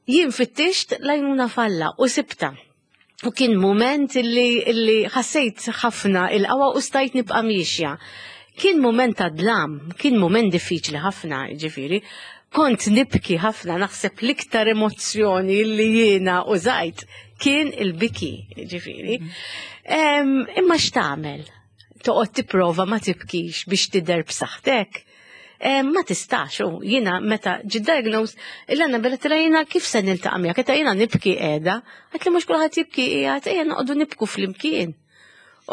jien fittixt l-għajnuna falla u sibta. U kien moment illi ħassejt ħafna il-qawwa u stajt nibqa' miexja. Kien moment ta' dlam, kien moment diffiċli ħafna, ġifieri. Kont nibki ħafna, naħseb l-iktar emozzjoni li jiena użajt kien il-biki, ġifieri. Imma x'tagħmel? Toqgħod tipprova ma tibkix biex tidher b'saħħtek? Ma tistax, u jiena meta ġi diagnosed, il-għanna bella tira jiena kif se niltaqa' miegħek, qed jiena nibki qiegħda, għedt li mhux kulħadd jibki qiegħed, ejja noqogħdu nibku flimkien.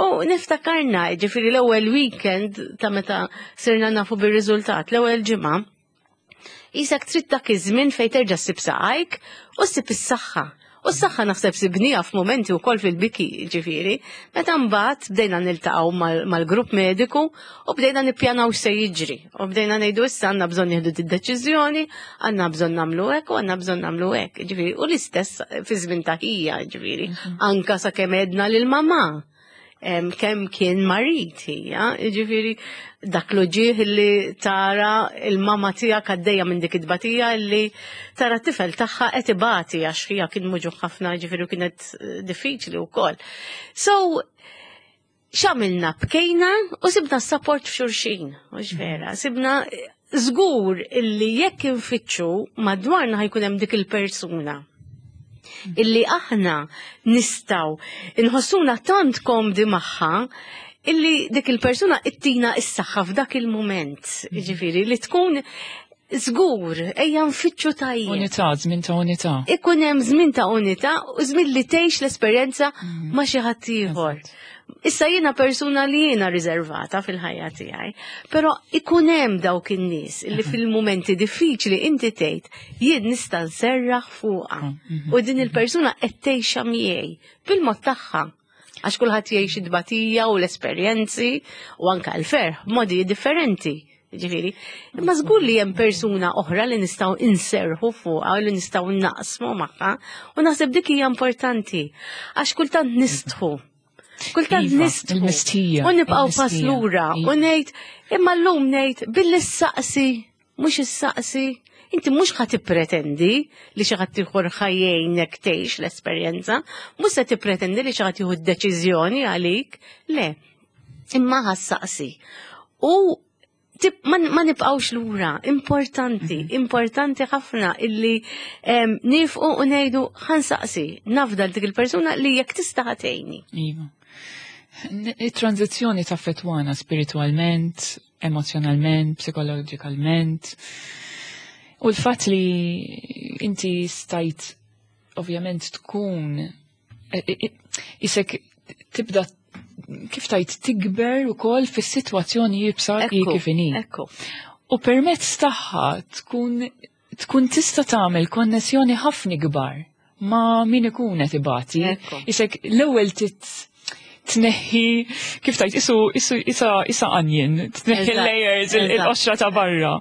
U niftakarna, ġifieri l-ewwel weekend ta' meta sirna nafu bir-riżultat, l-ewwel ġimgħa, Isak trid dak iż-żmien fejn terġa' ssib saqajk u ssib is-saħħa. U s-saħħa naħseb sibnija f'momenti wkoll fil-biki, ġifieri, meta mbagħad bdejna niltaqgħu mal-grupp mediku u bdejna nippjanaw x'se jiġri. U bdejna ngħidu issa għandna bżonn nieħdu d-deċiżjoni, għandna bżonn nagħmlu hekk u għandna bżonn nagħmlu hekk. Ġifieri, u l-istess fi żmien ta' ħija, ġifieri, anka sakemm għedna lil mamà. Kemm kien marid hija, ġifieri dak l-uġigħ li tara il-mama tiegħek għaddejja minn dik it-tbatija li tara t-tifel tagħha qed ibati għax hija kien muġugħ ħafna, ġifieri kienet diffiċli wkoll. So, x'għamilna? Bkejna u sibna s-support f'xulxin, mhux vera, sibna Żgur illi jekk infittxu madwarna ħa jkun hemm dik il-persuna illi aħna nistgħu nħossuna tant komdi magħha illi dik il-persuna ittina is-saħħa f'dak il-mument, ġifieri li tkun żgur ejja nfittxu tajjeb. Unità, żmien ta' unità. Ikun hemm żmien ta' unità u żmien li tgħix l-esperjenza ma' xi ħadd ieħor. Issa jiena persuna li jiena riservata fil-ħajja tiegħi, però ikun hemm dawk in-nies li fil-mumenti diffiċli inti tgħid jien nista' nserraħ fuqha. U din il-persuna qed tgħixha miegħi bil-mod tagħha. Għax kulħadd jgħix id-tbatija u l-esperjenzi u anka l-ferħ b'modi differenti. Ġifieri, imma żgur li hemm persuna oħra li nistgħu inserħu fuqha u li nistgħu naqsmu magħha u naħseb dik hija importanti għax kultant nistħu. Kultant Iva, nistħu. il-mistħija, U nibqgħu pass il-mistħija, lura u iva. ngħid imma llum ngħid billi ssaqsi, mhux issaqsi. Inti mhux ħa tippretendi li xi ħadd ieħor ħa jgħinek tgħix l-esperjenza, mhux se tippretendi li xi ħadd jieħu d-deċiżjoni għalik, le. Imma ħa ssaqsi. U tip, ma nibqawx lura, importanti, importanti ħafna illi nifqu u ngħidu ħa nsaqsi, nafda dik il-persuna li jekk tista' ħa tgħinni. Iva. Il-tranzizzjoni taffettwana spiritualment, emozjonalment, psikoloġikalment. U l-fatt li inti stajt ovvjament tkun isek tibda kif tajt tikber ukoll fis-sitwazzjoni iebsa hi kif inhi. Ekku. U permezz tagħha tkun tista' tagħmel konnessjoni ħafna kbar ma' min ikun qed ibati. Ekku. Isek l-ewwel tneħħi kif tajt isu isu isa isa onion, tneħħi layers il-qoxra ta' barra.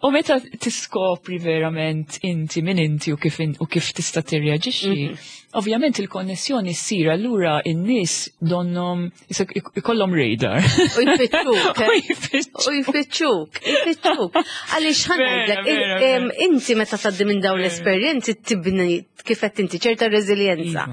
U meta tiskopri verament inti min inti u kif tista' tirreaġixxi, ovvjament il-konnessjoni ssir, allura in-nies donnom ikollhom radar. U jfittxuk. U jfittxuk. U jfittxuk, jfittxuk. Għaliex ħa ngħidlek, Vera, vera, vera. inti meta tgħaddi minn dawn l-esperjenzi tibni kif qed inti ċerta reżiljenza.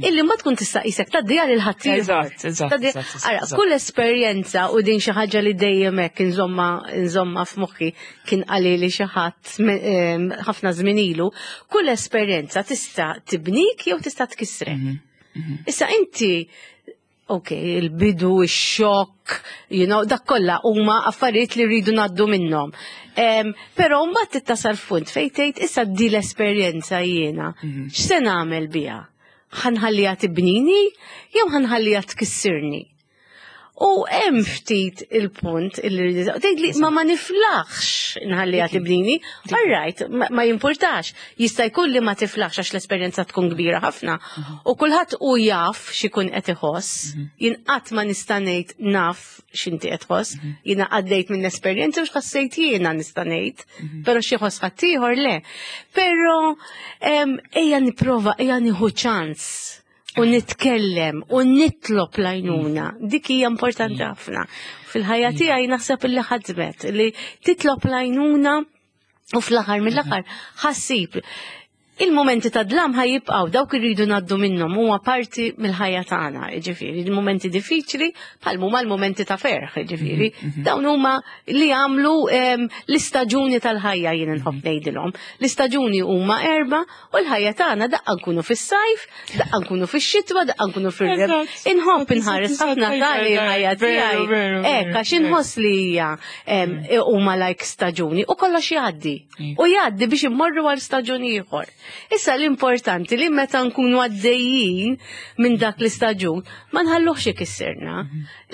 Illi ma tkun tista' qisek tgħaddi għal ħaddieħor. Eżatt, eżatt, Tgħaddi- eżatt, Ara, kull esperjenza u din xi ħaġa li dejjem hekk inżomma f'moħħi kien qali li xi ħadd ħafna żmien ilu, kull esperjenza tista' tibnik jew tista' tkissrek. Issa inti, ok, il-bidu, il-xokk, dak kollha huma affarijiet li rridu ngħaddu minnhom. Però mbagħad tittasal f'punt fejn tgħid issa di l-esperjenza jiena. X'se nagħmel biha? Ħa nħalliha tibnini jew ħa nħalliha tkissirni? U hemm ftit il-punt illi rridu tgħid li ma niflaħx nħalliha tibnini, all right, ma jimpurtax. Jista' jkun li ma tiflaħx għax l-esperjenza tkun kbira ħafna. U kulħadd u jaf x'ikun qed iħoss. Jien qatt ma nista' ngħid naf x'inti qed tħoss. Jiena għaddejt minn esperjenza u x'ħassejt jiena nista' ngħid, però xi ħoss ħaddieħor le. Però ejja nipprova, ejja nieħu ċans u nitkellem u nitlob l-għajnuna. Dik hija importanti ħafna. Fil-ħajja tiegħi naħseb illi ħadmet li titlob l-għajnuna u fl-aħħar mill-aħħar ħa ssib. Il-momenti ta' dlam ħa jibqgħu, dawk irridu ngħaddu minnhom, huma parti mill-ħajja tagħna, jiġifieri, il-momenti diffiċli bħal huma l-momenti ta' ferħ, jiġifieri. Dawn huma li jagħmlu l-istaġuni tal-ħajja, jien inħobb ngħidilhom. L-istaġuni huma erba' u l-ħajja tagħna daqqa nkunu fis-sajf, daqqa nkunu fix-xitwa, daqqa nkunu fir-reb. Inħobb inħares ħafna tali l-ħajja tiegħi. Hekk għax inħoss li hija huma like staġuni u kollox jgħaddi. U jgħaddi biex immorru għal staġun ieħor. Issa l-importanti li meta nkunu għaddejjin minn dak l-istaġun ma nħalluhx ikissirna.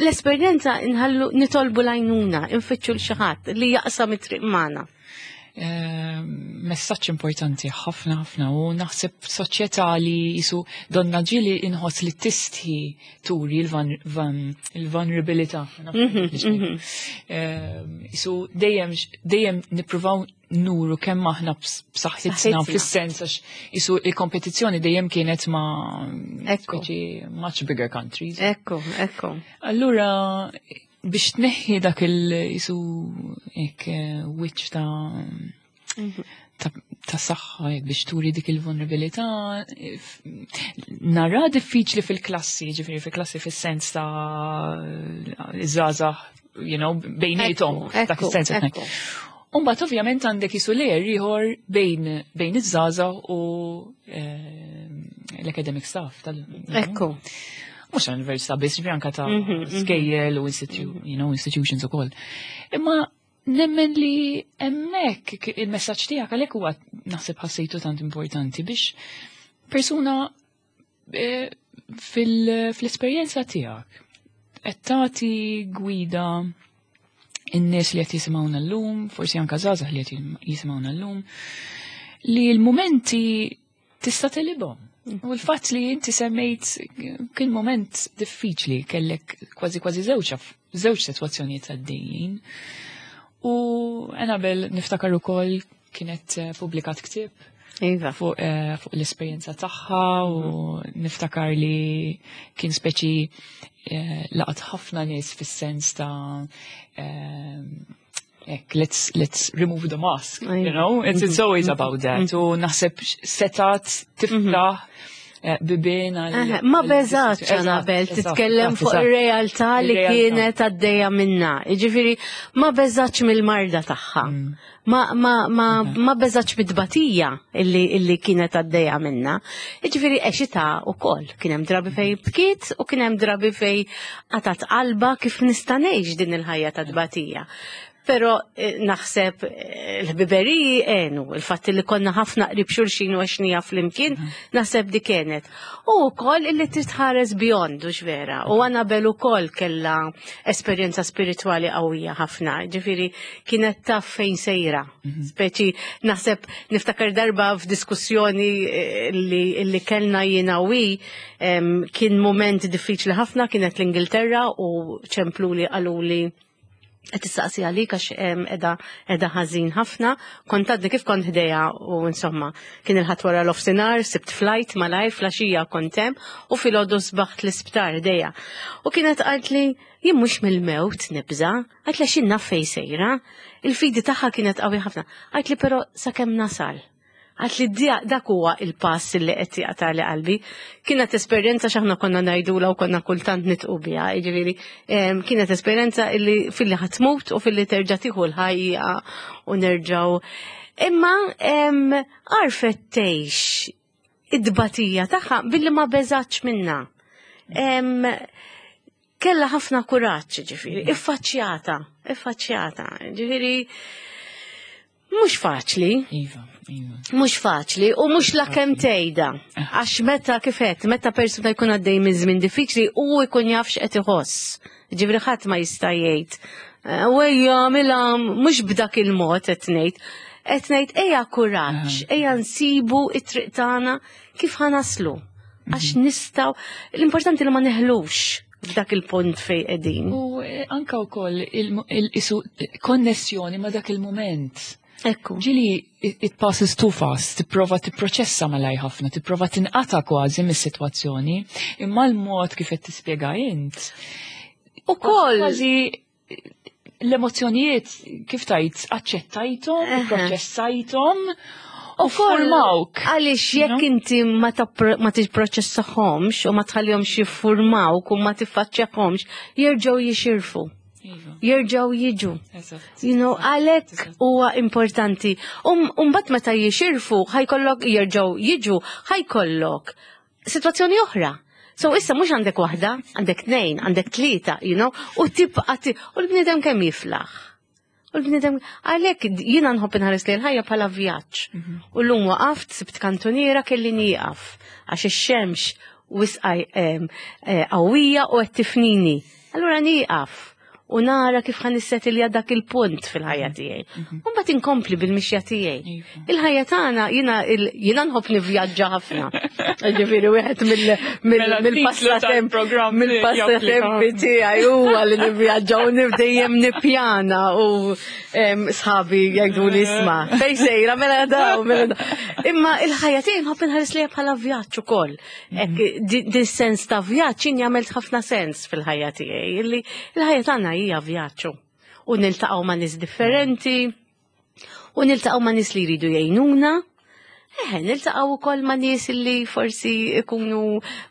L-esperjenza nħallu nitolbu l-għajnuna, infittxu l xi ħadd li jaqsam it-triq magħna. Messaġġ importanti ħafna ħafna u naħseb soċjetà li jisu donna ġieli inħoss li tistħi turi il-vulnerabilità. Jisu dejjem nippruvaw nuru kemm aħna b'saħħitna Saħħitna. fis-sens għax jisu il-kompetizzjoni dejjem kienet ma' speċi much bigger countries. Ekku, ekku. Allura biex tneħħi dak il jisu ek wiċċ ta' saħħa jekk biex turi dik il-vulnerabilità, nara diffiċli fil-klassi, ġifieri fil-klassi fis-sens ta' iż-żgħażagħ, bejniethom, dak is-sens qed ngħid. Umbat ovvjament għandek jisu layer ieħor bejn bejn iż-żgħażagħ u l-academic staff tal. Ekku. Mhux għall-università biss, ġifieri anke ta' skejjel u you know, institutions ukoll. Imma nemmen li hemmhekk il-messaġġ tiegħek għalhekk huwa naħseb ħassejtu tant importanti biex persuna fil-esperjenza tiegħek qed tagħti gwida in-nies li qed jisimgħuna llum, forsi anke żgħażagħ li qed jisimgħuna llum, li l-mumenti tista' tegħlibhom. U l-fatt li inti semmejt kien moment diffiċli kellek kważi kważi żewġ żewġ sitwazzjonijiet għaddejjin. U Annabel niftakar ukoll kienet publikat ktieb Iva. fuq fu l-esperjenza tagħha u niftakar li kien speċi laqat ħafna nies fis-sens ta' ek, let's remove the mask, you know? It's always about that. U naħseb setat tiftaħ bibien għal. Ma beżgħetx Annabel titkellem fuq ir-realtà li kienet għaddejja minna. Jiġifieri ma beżgħetx mill-marda tagħha. Ma beżgħetx bit-tbatija illi kienet għaddejja minna. Jiġifieri għexitha wkoll. Kien hemm drabi fej bkiet u kien hemm drabi fej qatgħet qalbha kif nista' ngħix din il-ħajja ta' tbatija. Pero naħseb l-ħbiberiji għenu, il-fatt li konna ħafna qrib xulxin u għexnieha flimkien, naħseb di kienet. U wkoll illi titħares beyond, u vera. U Annabel ukoll kella esperjenza spiritwali qawwija ħafna, ġifieri kienet taf fejn sejra. Speċi naħseb niftakar darba f'diskussjoni li kellna jiena u hi, kien moment diffiċli ħafna, kienet l-Ingilterra u ċempluli qaluli qed tistaqsi għalik għax qiegħda ħażin ħafna. Kont għadni kif kont ħdejha u insomma kien il-Ħadd wara l-offsinar, sibt flight malajr filgħaxija kont hemm u filgħodu sbaħt l-isptar ħdejha. U kienet qalt li jien mhux mill-mewt nibża, għalt li x'in naf fejn sejra. Il-fidi tagħha kienet qawwi ħafna. Għalt li però sakemm nasal. Għalt li dak huwa il-pass li qed jaqtagħli qalbi. Kienet esperjenza x'aħna konna ngħidula u konna kultant nidħku biha, jiġifieri kienet esperjenza illi filli ħa tmut u filli terġa' tieħu l-ħajja u nerġgħu. Imma għarfet tgħix id-dbatija tagħha billi ma beżgħetx minna. Kella ħafna kuraġġ, ġifieri, iffaċċjata, iffaċċjata, ġifieri mhux faċli. Iva, iva. Mhux faċli u mhux la kemm tgħidha. Għax meta kifet, meta persuna jkun għaddej minn żmien diffiċli u jkun jaf x'qed iħoss. Ġifieri ħadd ma jista' jgħid. Wejja, mela mhux b'dak il-mod qed ngħid. Qed ngħid ejja kuraġġ, ejja nsibu it-triq tagħna kif ħa naslu. Għax nistgħu, l-importanti li ma neħlux f'dak il-punt fej qegħdin. U anka wkoll il-isu konnessjoni ma' dak il-moment. Ekku. Ġieli it passes too fast, tipprova tipproċessa malaj ħafna, tipprova tinqata kważi mis-sitwazzjoni, imma l-mod kif qed tispjega int. U koll. Kważi l-emozzjonijiet kif tajt aċċettajthom, proċessajthom u formawk. Għaliex jekk inti ma tipproċessahomx u ma tħallihomx jiffurmawk u ma tiffaċċjahomx, jerġgħu jixirfu. Jerġgħu jiġu. Għalhekk huwa importanti. Mbagħad meta jixirfu, ħa jkollok jerġgħu jiġu, ħa jkollok sitwazzjoni oħra. So issa mhux għandek waħda, għandek tnejn, għandek tlieta, u tibqa' u l-bniedem kemm jiflaħ. U l-bniedem, għalhekk jiena nħobb inħares li l-ħajja bħala vjaġġ. U llum waqaft, sibt kantuniera kelli nieqaf, għax ix-xemx wisqa qawwija u qed tifnini. Allura nieqaf u nara kif ħa nissetilja dak il-punt fil-ħajja tiegħi. U mbagħad inkompli bil-mixja tiegħi. Il-ħajja tagħna jiena nħobb nivvjaġġa ħafna. Ġifieri wieħed Mela, titlu tal-programm mill-passatempi tiegħi huwa li nivvjaġġa u dejjem nippjana u sħabi jgħidu li isma' fej sejra mela daw, mela daw. Imma il-ħajja tiegħi nħobb inħares lejha bħala vjaġġ ukoll. Hekk din sens ta' vjaġġ jien jagħmel ħafna sens fil-ħajja tiegħi, illi il-ħajja tagħna hija vjaġġ. U niltaqgħu ma' nies differenti, u niltaqgħu ma' nies li jridu jgħinuna. Eh, niltaqgħu wkoll ma' nies li forsi ikunu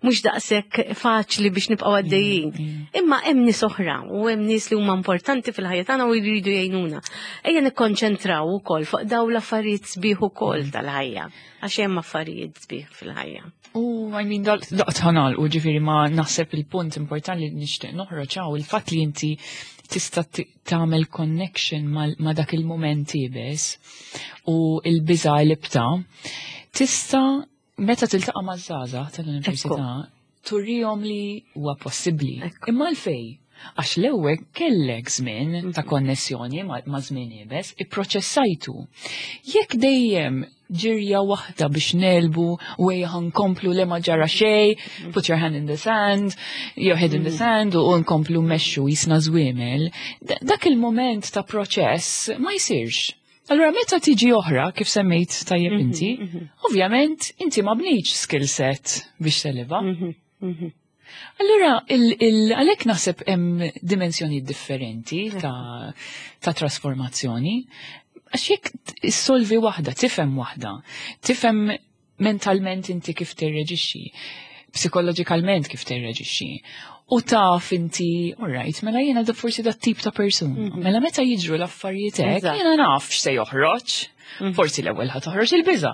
mhux daqshekk faċli biex nibqgħu għaddejjin. Imma hemm nies oħra u hemm nies li huma importanti fil-ħajja tagħna u jridu jgħinuna. Ejja nikkonċentraw ukoll fuq dawn l-affarijiet sbieħ ukoll tal-ħajja, għax hemm affarijiet sbieħ fil-ħajja. U I mean, daqt ħanal u ġifieri ma naħseb il-punt importanti li nixtieq noħroġ hawn il-fatt li inti tista' tagħmel connection ma' dak il-moment iebes u il-biża li bta tista' meta tiltaqa' maż-żgħażagħ tal-università turihom li huwa possibbli. Imma l-fej, għax l-ewwel kellek żmien ta' konnessjoni ma' żmien iebes, ipproċessajtu. Jekk dejjem ġirja waħda biex nelbu u ejja nkomplu le ma ġara xej, put your hand in the sand, your head in the sand u nkomplu mmexxu qisna żwiemel, dak il-moment ta' proċess ma jsirx. Allura meta tiġi oħra, kif semmejt tajjeb inti, ovvjament inti ma bnejtx skill set biex tegħlibha. Allura, għalhekk naħseb hemm dimensjoni differenti ta' trasformazzjoni. Għax jekk issolvi waħda, tifhem waħda, tifhem mentalment inti kif tirreġixxi, psikoloġikalment kif tirreġixxi. U taf inti, all right, mela jiena da forsi da tip ta' persuna. Mela meta jiġru l-affarijiet hekk, jiena naf x'se joħroġ. Forsi l-ewwel ħa toħroġ il-biża,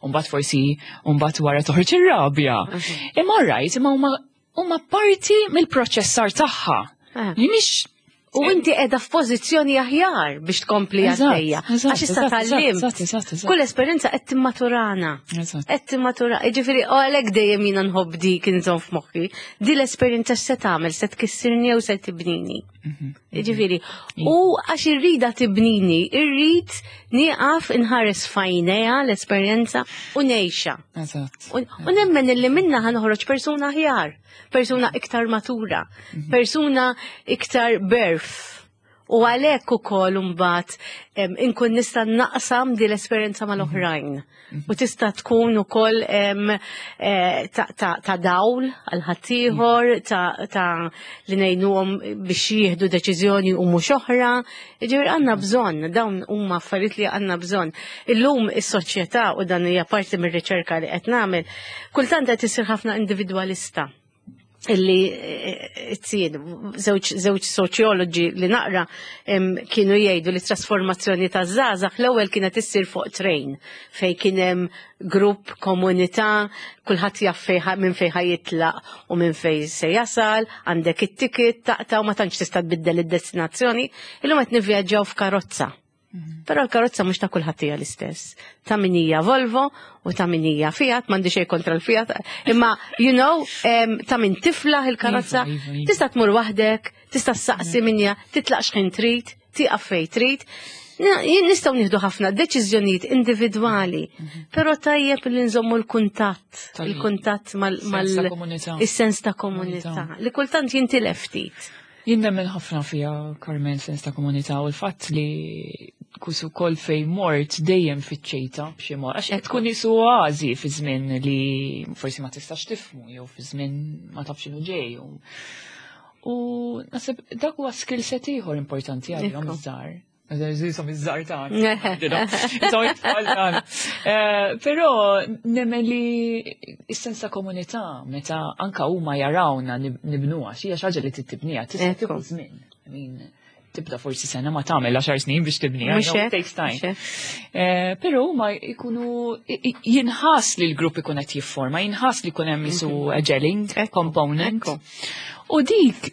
u mbagħad forsi mbagħad wara toħroġ ir-rabja. Imma all right, imma huma parti mill-proċessar tagħha. Li mhix U inti qiegħda f'pożizzjoni aħjar biex tkompli għaddejja. Għax issa tgħallimt. Kull esperjenza qed timmaturana. Qed timmatura. Jiġifieri u għalhekk dejjem jiena nħobb dik inżomm f'moħħi. Di l-esperjenza x'se tagħmel, se tkissirni jew se tibnini. Jiġifieri, u għax irrida tibnini, irrid nieqaf inħares f'għajnejha l-esperjenza u ngħixha. U nemmen illi minna ħa noħroġ persuna aħjar, persuna iktar matura, persuna iktar berf. U għalhekk ukoll imbagħad inkun nista' naqsam di l-esperjenza mal-oħrajn. U tista' tkun ukoll ta' dawl għal ħaddieħor, ta' li ngħinuhom biex jieħdu deċiżjoni u mhux oħra. Ġifieri għandna bżonn, dawn huma affarijiet li għandna bżonn. Illum is-soċjetà, u dan hija parti mir-riċerka li qed nagħmel, kultant qed isir ħafna individwalista illi t-sien, żewġ soċjoloġi li naqra kienu jgħidu li trasformazzjoni ta' żgħażagħ l-ewwel kienet issir fuq train fej kien hemm grupp, komunità, kulħadd jaf minn fejn ħa jitlaq u minn fej se jasal, għandek it-ticket taqta' u ma tantx tista' tbiddel id-destinazzjoni. Illum qed nivvjaġġaw f'karozza. Però l-karozza mhux ta' kulħadd hija l-istess. Ta' min hija Volvo u ta' min hija Fiat, m'għandi xejn kontra l-Fiat, imma ta' min tiflaħ il-karozza, Iva, iva, iva. tista' tmur waħdek, tista' ssaqsi minja, titlaq x'ħin trid, tieqaf fejn trid. Jien nistgħu nieħdu ħafna deċiżjonijiet individwali, però tajjeb li nżommu l-kuntatt, il-kuntatt Sens ta' komunità. Is-sens ta' komunità, li kultant jintilef ftit. Jien nemmen ħafna fija, Carmen, sens ta' komunità u l-fatt li kusu kol fej mort dejjem fiċ-ċejta b'xi mod. Għax qed tkun isu oażi fi żmien li forsi ma tistax tifhmu jew fi żmien ma tafx x'inhu ġej. U naħseb dak huwa skill set ieħor importanti għalihom iż-żgħar. Jisom iż-żgħar tagħna. Jisom it-tfal tagħna. Però nemmen li s-sens ta' komunità meta anka huma jarawna nibnuha, xi xi ħaġa li tibniha, tista' tieħu żmien. I mean, tibda forsi sena ma tagħmel 10 snin biex tibniha, Mhux no, hekk, it takes time. mhux hekk. Però huma jkunu jinħass li l-grupp ikun qed jifforma, jinħass li jkun hemm isu a gelling component. U dik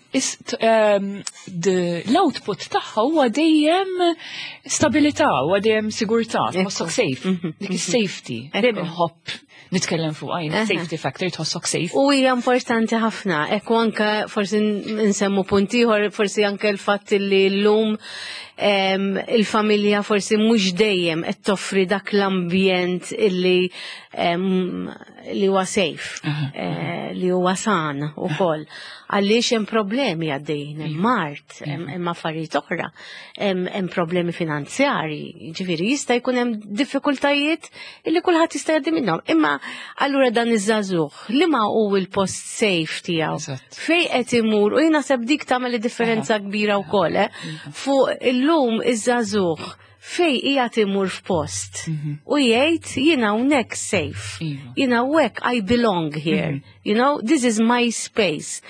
l-output tagħha huwa dejjem stabilità, huwa dejjem sigurtà, tħossok safe, dik is-safety. Dejjem inħobb nitkellem fuq għajn, safety factor, tħossok safe. U hija importanti ħafna, ekku anke forsi nsemmu punt ieħor, forsi anke l-fatt li llum il-familja forsi mhux dejjem qed toffri dak l-ambjent illi li huwa safe, li huwa san ukoll. Għaliex hemm problemi għaddejjin, hemm mard, hemm affarijiet oħra, hemm problemi finanzjarji, ġifieri jista' jkun hemm diffikultajiet illi kulħadd jista' jgħaddi minnhom. Imma allura dan iż-żagħżugħ li ma hu l-post safe tiegħu. Fej qed imur u jien naħseb dik tagħmel differenza kbira wkoll, eh? Fuq illum iż-żagħżugħ. Fej qiegħed imur f'post u jgħid jiena hawnhekk safe. Jiena hawnhekk I belong here. This is my space.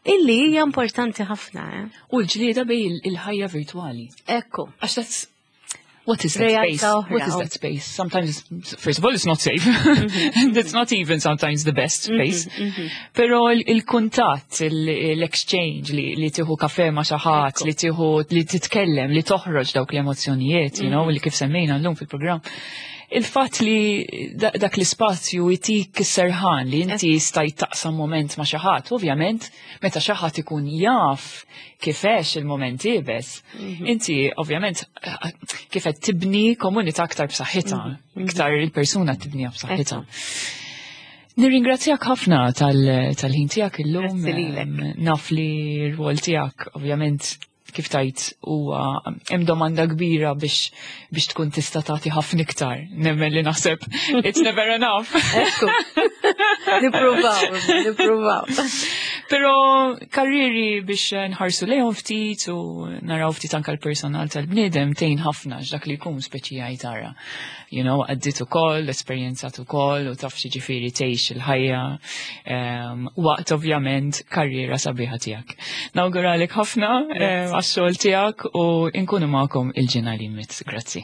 Illi hija importanti ħafna, eh? U l-ġlieda bej il-ħajja virtuali. Ekku. Għax that's what is that space? What is that space? Sometimes, first of all, it's not safe. And it's not even sometimes the best space. Pero il-kuntatt, l-exchange, li tieħu kafe ma' xi ħadd, li tieħu li titkellem, li toħroġ dawk l-emozzjonijiet, li kif semmejna llum fil-programm. Il-fatt li dak l-ispazju jtik serħan li inti stajt taqsam moment ma' xi ħadd, ovvjament, meta xi ħadd ikun jaf kif għex il-moment iebes, inti ovvjament kif qed tibni komunità aktar b'saħħitha, iktar il-persuna tibniha b'saħħitha. Nirringrazzjak ħafna tal-ħin tiegħek illum. Grazzi lilek. Naf li r-rwol tiegħek ovvjament kif tajt huwa hemm domanda kbira biex tkun tista' tagħti ħafna iktar. Nemmen li naħseb it's never enough. Ekku. Nippruvaw, nippruvaw. Però karriri biex nħarsu lejhom ftit u naraw ftit anke l-personal tal-bniedem tgħin ħafna x'dak li jkun speċi jgħid tara. Għaddit ukoll, esperjenzat ukoll u taf xi ġifieri tgħix il-ħajja waqt ovvjament karriera sabiħa tiegħek. Nawguralek ħafna Grazzi. għax-xogħol tiegħek u nkunu magħkom il-ġimgħa li jmiss. Grazzi.